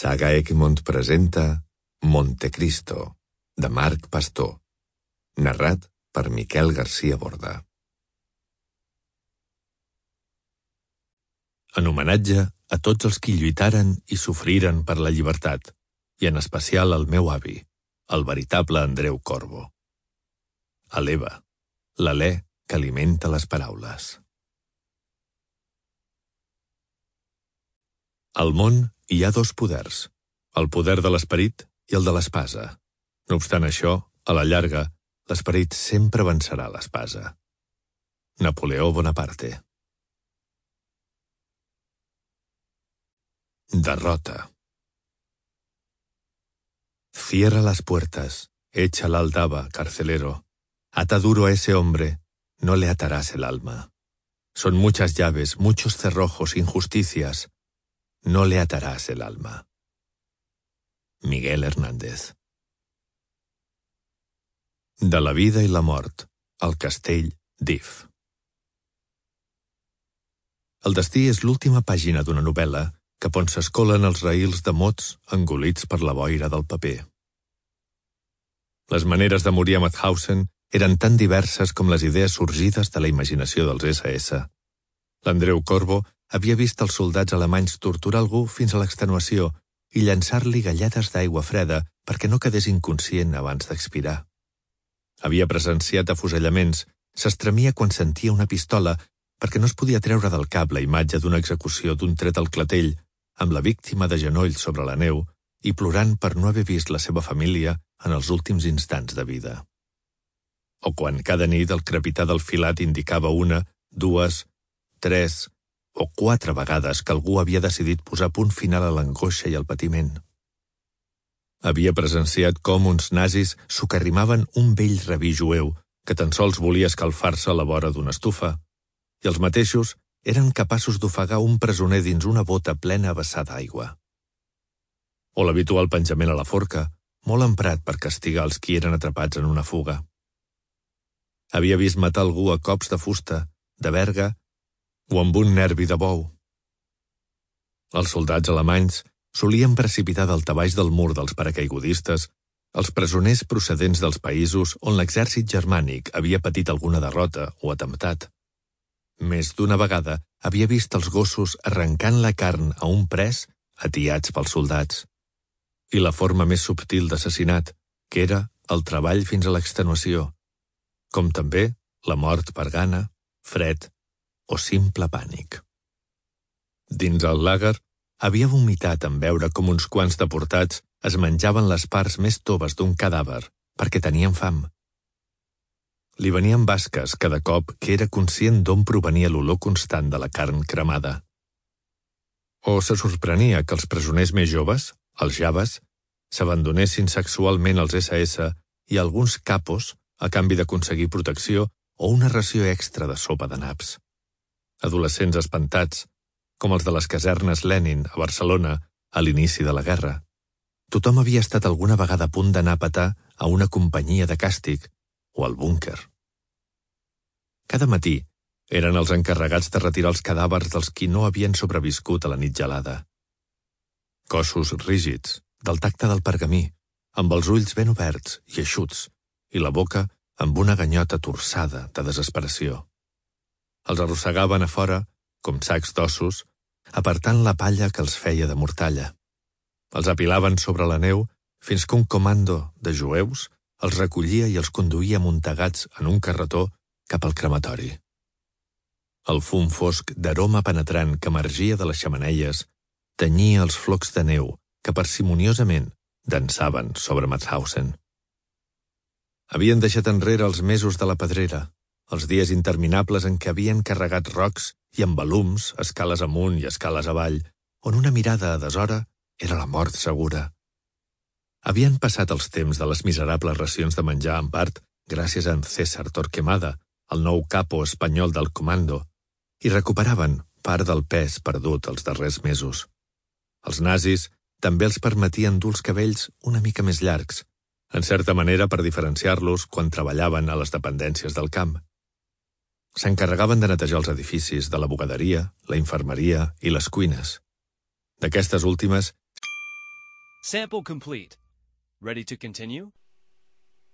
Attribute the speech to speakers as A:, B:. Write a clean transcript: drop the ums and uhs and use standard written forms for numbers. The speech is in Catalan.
A: Saga Egmont presenta Montecristo, de Marc Pastor, narrat per Miquel García Borda. En homenatge a tots els qui lluitaren i sofriren per la llibertat, i en especial al meu avi, el veritable Andreu Corbo. A l'Eva, l'alè que alimenta les paraules. Al món hi ha dos poders, el poder de l'esperit i el de l'espasa. No obstant això, a la llarga, l'esperit sempre vencerà l'espasa. Napoleó Bonaparte. Derrota. Cierra las puertas, echa la aldaba, carcelero. Ata duro a ese hombre, no le atarás el alma. Son muchas llaves, muchos cerrojos, injusticias. No le atarás el alma. Miguel Hernández. De la vida i la mort, al castell d'If. El destí és l'última pàgina d'una novel·la cap on s'escolen els raïls de mots engolits per la boira del paper. Les maneres de morir a Mauthausen eren tan diverses com les idees sorgides de la imaginació dels SS. L'Andreu Corbo havia vist els soldats alemanys torturar algú fins a l'extenuació i llançar-li galledes d'aigua freda perquè no quedés inconscient abans d'expirar. Havia presenciat afusellaments, s'estremia quan sentia una pistola perquè no es podia treure del cap la imatge d'una execució d'un tret al clatell amb la víctima de genolls sobre la neu i plorant per no haver vist la seva família en els últims instants de vida. O quan cada nit el crepitar del filat indicava una, dues, tres o 4 vegades que algú havia decidit posar punt final a l'angoixa i al patiment. Havia presenciat com uns nazis socarrimaven un vell rabí jueu que tan sols volia escalfar-se a la vora d'una estufa, i els mateixos eren capaços d'ofegar un presoner dins una bota plena a vessar d'aigua. O l'habitual penjament a la forca, molt emprat per castigar els qui eren atrapats en una fuga. Havia vist matar algú a cops de fusta, de verga o amb un nervi de bou. Els soldats alemanys solien precipitar daltabaix del mur dels paracaigudistes els presoners procedents dels països on l'exèrcit germànic havia patit alguna derrota o atemptat. Més d'una vegada havia vist els gossos arrencant la carn a un pres atiats pels soldats. I la forma més subtil d'assassinat, que era el treball fins a l'extenuació, com també la mort per gana, fred o simple pànic. Dins el làger, havia vomitat en veure com uns quants deportats es menjaven les parts més toves d'un cadàver perquè tenien fam. Li venien basques cada cop que era conscient d'on provenia l'olor constant de la carn cremada. O se sorprenia que els presoners més joves, els javes, s'abandonessin sexualment als SS i alguns capos a canvi d'aconseguir protecció o una ració extra de sopa de naps. Adolescents espantats, com els de les casernes Lenin a Barcelona a l'inici de la guerra. Tothom havia estat alguna vegada a punt d'anar a petar a una companyia de càstig o al búnquer. Cada matí eren els encarregats de retirar els cadàvers dels qui no havien sobreviscut a la nit gelada. Cossos rígids, del tacte del pergamí, amb els ulls ben oberts i eixuts, i la boca amb una ganyota torçada de desesperació. Els arrossegaven a fora, com sacs d'ossos, apartant la palla que els feia de mortalla. Els apilaven sobre la neu fins que un comando de jueus els recollia i els conduïa amuntegats en un carretó cap al crematori. El fum fosc d'aroma penetrant que emergia de les xemeneies tenyia els flocs de neu que parsimoniosament dansaven sobre Mauthausen. Havien deixat enrere els mesos de la pedrera, els dies interminables en què havien carregat rocs i embalums, escales amunt i escales avall, on una mirada a deshora era la mort segura. Havien passat els temps de les miserables racions de menjar en part gràcies a en César Torquemada, el nou capo espanyol del comando, i recuperaven part del pes perdut els darrers mesos. Els nazis també els permetien dur els cabells una mica més llargs, en certa manera per diferenciar-los quan treballaven a les dependències del camp. S'encarregaven de netejar els edificis de la bugaderia, la infermeria i les cuines. D'aquestes últimes
B: Sample complete. Ready to continue?